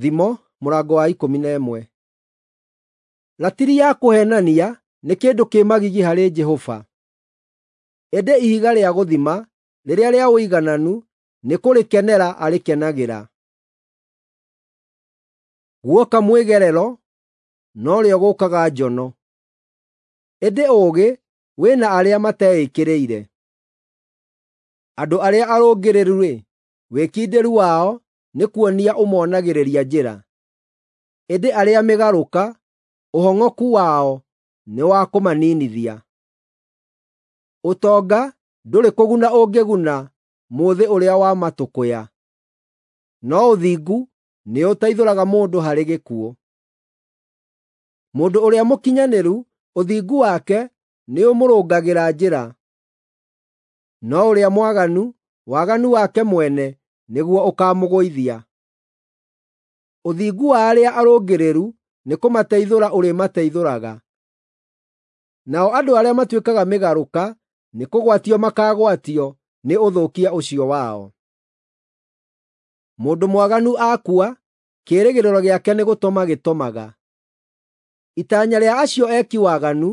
Thimo mũrango wa 11. Ratiri ya kũheenania nĩ kĩndũ kĩ magigi harĩ Jehova, ĩndĩ ihiga rĩa gũthima rĩrĩa rĩa ũigananu nĩ kũrĩkenera arĩkenagĩra. Guoka mwĩgerero, norĩo gũkaga njono, ĩndĩ ũũgĩ wĩ na arĩa mateĩkĩrĩire. Andũ arĩa arũngĩrĩru-rĩ, wĩkindĩru wao nĩ kuonia ũmonagĩrĩria njĩra, ĩndĩ arĩa mĩgarũka, ũhong'oku wao nĩ wa kũmaninithia. Ũtonga ndũrĩ kũguna ũngĩguna mũthĩ ũrĩa wa matũkũya, no ũthingu nĩũteithũraga mũndũ harĩ gĩkuũ. Mũndũ ũrĩa mũkinyanĩru ũthingu wake nĩũmũrũngagĩra njĩra, no ũrĩa mwaganu, waganu wake mwene nĩguo ũkaamũgũithia. Ũthingu wa arĩa arũngĩrĩru nĩkũmateithũra ũrĩmateithũraga, nao andũ arĩa matuĩkaga mĩgarũka nĩkũgwatio makaagwatio nĩ ũthũkia ũcio wao. Mũndũ mwaganu akua, kĩĩrĩgĩrĩro gĩake nĩ gũtoma gĩtomaga. Itanya rĩa acio eki waganu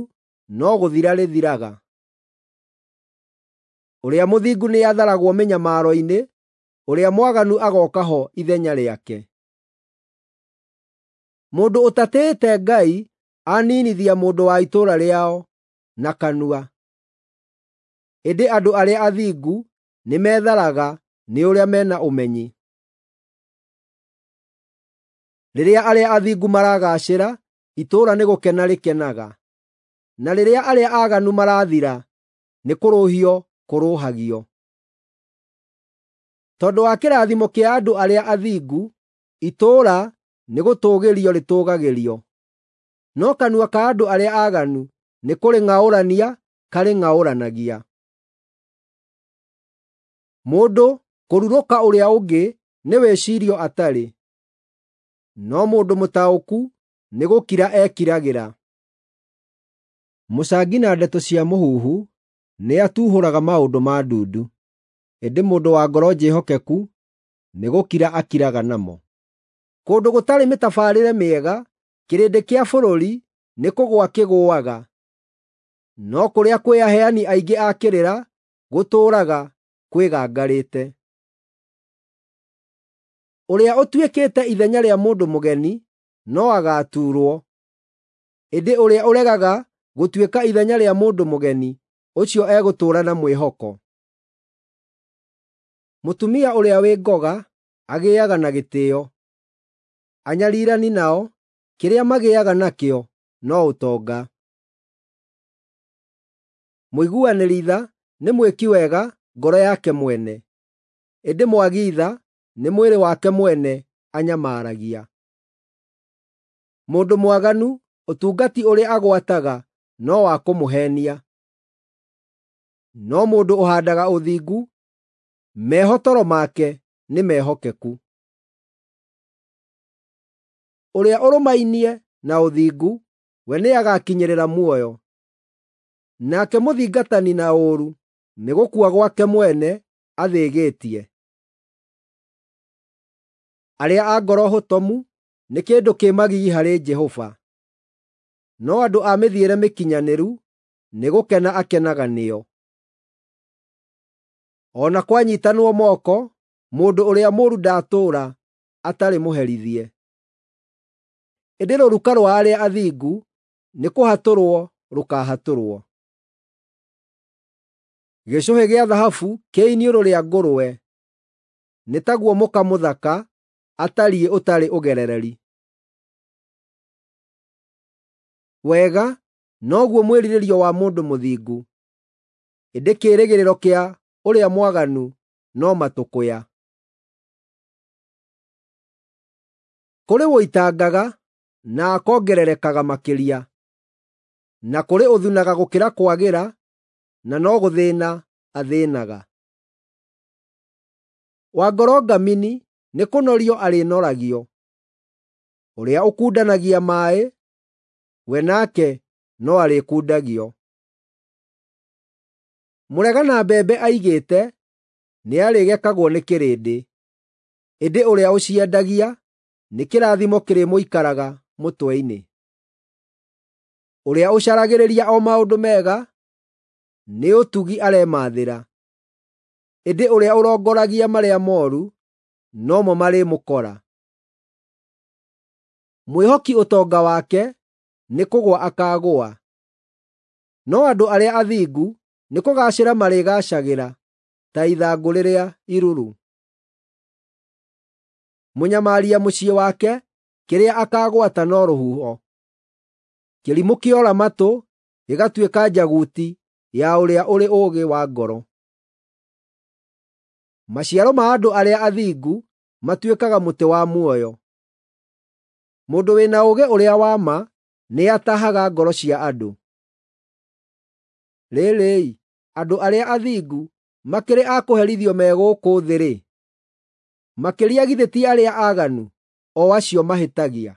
no gũthira rĩthiraga. Ũrĩa mũthingu nĩatharagwo mĩnyamaro-inĩ, ũrĩa mwaganu agooka ho ithenya rĩake. Mũndũ ũtatĩĩte Ngai aninithia mũndũ wa itũũra rĩao na kanua, ĩndĩ andũ arĩa athingu nĩmetharaga nĩ ũrĩa mena ũmenyi. Rĩrĩa arĩa athingu maragaacĩra, itũũra nĩ gũkena rĩkenaga, na rĩrĩa arĩa aaganu marathira, nĩ kũrũhio kũrũhagio. Tondũ wa kĩrathimo kĩa andũ arĩa athingu, itũũra nĩgũtũũgĩrio rĩtũũgagĩrio, no kanua ka andũ arĩa aaganu nĩkũrĩng'aũrania karĩng'aũranagia. Mũndũ kũrurũka ũrĩa ũngĩ nĩ wĩcirio atarĩ, no mũndũ mũtaũku nĩ gũkira ekiragĩra. Mũcangi na ndeto cia mũhuhu nĩatuhũraga maũndũ ma ndundu, ĩndĩ mũndũ wa ngoro njĩhokeku nĩ gũkira akiraga namo. Kũndũ gũtarĩ mĩtabarĩre mĩega, kĩrĩndĩ kĩa bũrũri nĩ kũgũa kĩgũũaga, no kũrĩa kwĩ aheani aingĩ a kĩrĩra gũtũũraga kwĩgangarĩte. Ũrĩa ũtuĩkĩte ithenya rĩa mũndũ mũgeni no agaatuurwo, ĩndĩ ũrĩa ũregaga gũtuĩka ithenya rĩa mũndũ mũgeni, ũcio egũtũũra na mwĩhoko. Mũtumia ũrĩa wĩ ngoga agĩaga na gĩtĩĩo, anyariirani nao kĩrĩa magĩaga nakĩo no ũtonga. Mũiguanĩri tha nĩ mwĩki wega ngoro yake mwene, ĩndĩ mwagi tha nĩ mwĩrĩ wake mwene anyamaragia. Mũndũ mwaganu ũtungati ũrĩa agwataga no wa kũmũheenia, no mũndũ ũhaandaga ũthingu, mehotoro make nĩ mehokeku. Ũrĩa ũrũmainie na ũthingu, we nĩagakinyĩrĩra muoyo, nake mũthingatani na ũũru nĩ gũkua gwake mwene athĩgĩtie. Arĩa a ngoro hotomu nĩ kĩndũ kĩ magigi harĩ Jehova, no andũ a mĩthiĩre mĩkinyanĩru nĩ gũkena akenaga nĩo. O na kwanyiitanwo moko, mũndũ ũrĩa mũũru ndatũũra atarĩ mũherithie. Ĩndĩ rũruka rwa arĩa athingu nĩkũhatũrwo rũkaahatũrwo. Gĩcũhĩ gĩa thahabu kĩ iniũrũ rĩa ngũrwe nĩ taguo mũka mũthaka atariĩ ũtarĩ ũgerereri. Wega noguo mwĩrirĩrio wa mũndũ mũthingu, ĩndĩ kĩĩrĩgĩrĩro kĩa ũrĩa mwaganu no matũkũya. Kũrĩ ũitangaga na akongererekaga makĩria, na kũrĩ ũthunaga gũkĩra kwagĩra na no gũthĩĩna athĩĩnaga. Wa ngoro ngamini nĩkũnorio arĩnoragio, ũrĩa ũkundanagia maaĩ, we nake no arĩkundagio. Mũregana mbembe aigĩte nĩarĩgekagwo nĩ kĩrĩndĩ, ĩndĩ ũrĩa ũciendagia nĩ kĩrathimo kĩrĩmũikaraga mũtwe-inĩ. Ũrĩa ũcaragĩrĩria o maũndũ mega, nĩ ũtugi aremathĩra, ĩndĩ ũrĩa ũrongoragia marĩa mooru, nomo marĩmũkora. Mwĩhoki ũtonga wake nĩkũgũa akaagũa, no andũ arĩa athingu nĩkũgaacĩra marĩgaacagĩra ta ithangũ rĩrĩa iruru. Mũnyamaria mũciĩ wake kĩrĩa akaagwata no rũhuho. Kĩrimũ kĩora matũ gĩgatuĩka njaguti ya ũrĩa ũrĩ ũũgĩ wa ngoro. Maciaro ma andũ arĩa athingu matuĩkaga mũtĩ wa muoyo. Mũndũ wĩna ũũgĩ ũrĩa wa ma nĩatahaga ngoro cia andũ. Rĩrĩ-ĩ, andũ arĩa athingu makĩrĩ a kũherithio me gũkũ thĩ-rĩ, makĩria githĩ ti arĩa aaganu, o acio mahĩtagia!